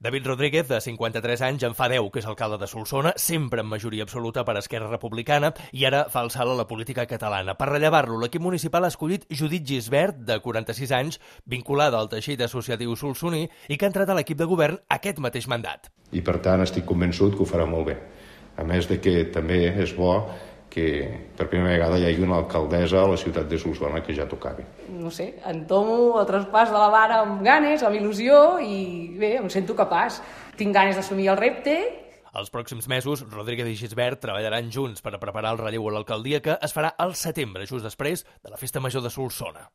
David Rodríguez, de 53 anys, en fa 10 que és alcalde de Solsona, sempre en majoria absoluta per Esquerra Republicana, i ara fa el salt a la política catalana. Per rellevar-lo, l'equip municipal ha escollit Judit Gisbert, de 46 anys, vinculada al teixit associatiu solsoní i que ha entrat a l'equip de govern aquest mateix mandat. I per tant estic convençut que ho farà molt bé. A més de que també és bo que per primera vegada hi hagi una alcaldessa a la ciutat de Solsona que ja tocava. No sé, entomo el traspàs de la vara amb ganes, amb il·lusió i bé, em sento capaç. Tinc ganes d'assumir el repte. Els pròxims mesos, Rodríguez i Gisbert treballaran junts per a preparar el relleu a l'alcaldia que es farà al setembre, just després de la Festa Major de Solsona.